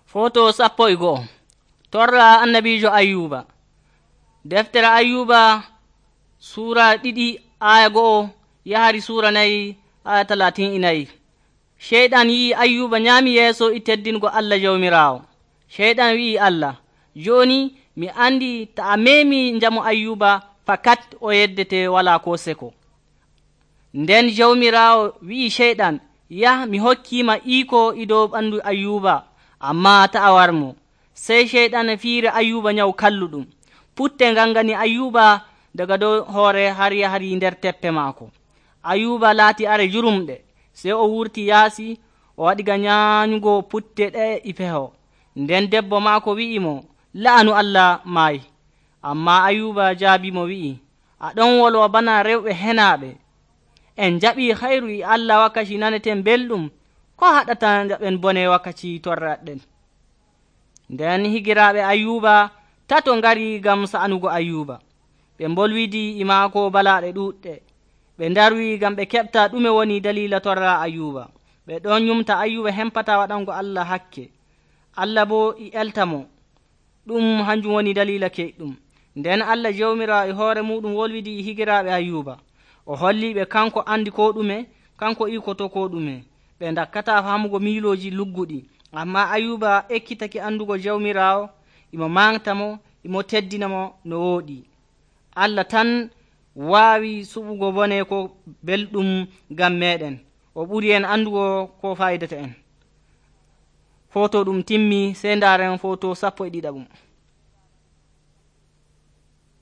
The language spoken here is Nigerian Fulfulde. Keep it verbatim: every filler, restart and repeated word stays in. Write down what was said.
Foto sappo e go'o torra annabijo Ayyuba. Deftere Ayyuba sura ɗiɗi aya go'o yahari sura nayi aya talatin e nayi. Sheyɗan yi'i Ayyuba nyaami yeeso e teddingo Allah Jawmiraawo. Sheyɗan wi'i Allah, jooni mi andi ta a meemi njamu Ayyuba fakat o yeddete walaa ko seko. Nden Jawmiraawo wi'i Sheyɗan, yah mi hokkiima iiko e dow ɓandu Ayyuba, ammaa ta'a warmo. Sey Sheyɗan fiiri Ayyuba nyawu kalluɗum. Putte ngangani Ayyuba daga dow hoore har yahari nder teppe maako. Ayyuba laati are jurumɗe. Sey o wurti yaasi o waɗi ga nyaanyugo putte ɗe e feho. Nden debbo maako wi'i mo, la'anu Allah maayi. Ammaa Ayyuba jaabimo wi'i, aɗon wolwa bana rewɓe henaaɓe. En jaɓii hayru e Allah wakkati naneten belɗum, ko haɗata jaɓen bone wakkati torraɗen. Nden higiraaɓe Ayyuba tato ngari ngam sa'anugo Ayyuba. Ɓe mbolwidi e maako balaaɗe ɗuuɗɗe. Ɓe ndarwi ngam ɓe keɓta ɗume woni daliila torra Ayyuba. Ɓe ɗon nyumta Ayyuba hempata waɗango Allah hakke. Allah boo e elta mo. Ɗum hanjum woni daliila keyɗum. Nden Allah Jawmiraawo e hoore muɗum wolwidi e higiraaɓe Ayyuba. O holliɓe kanko andi ko ɗume, kanko ikoto ko ɗume. Ɓe dakkata famugo miilooji lugguɗi. Ammaa Ayyuba ekkitake andugo Jawmiraawo, imo manta mo, imo teddina mo no wooɗi. Allah tan waawi suɓugo bone ko belɗum ngam meɗen. O ɓuri en andugo ko fayidata en. Foto ɗum timmi, sey ndaaren foto sappo e ɗiɗaɓum.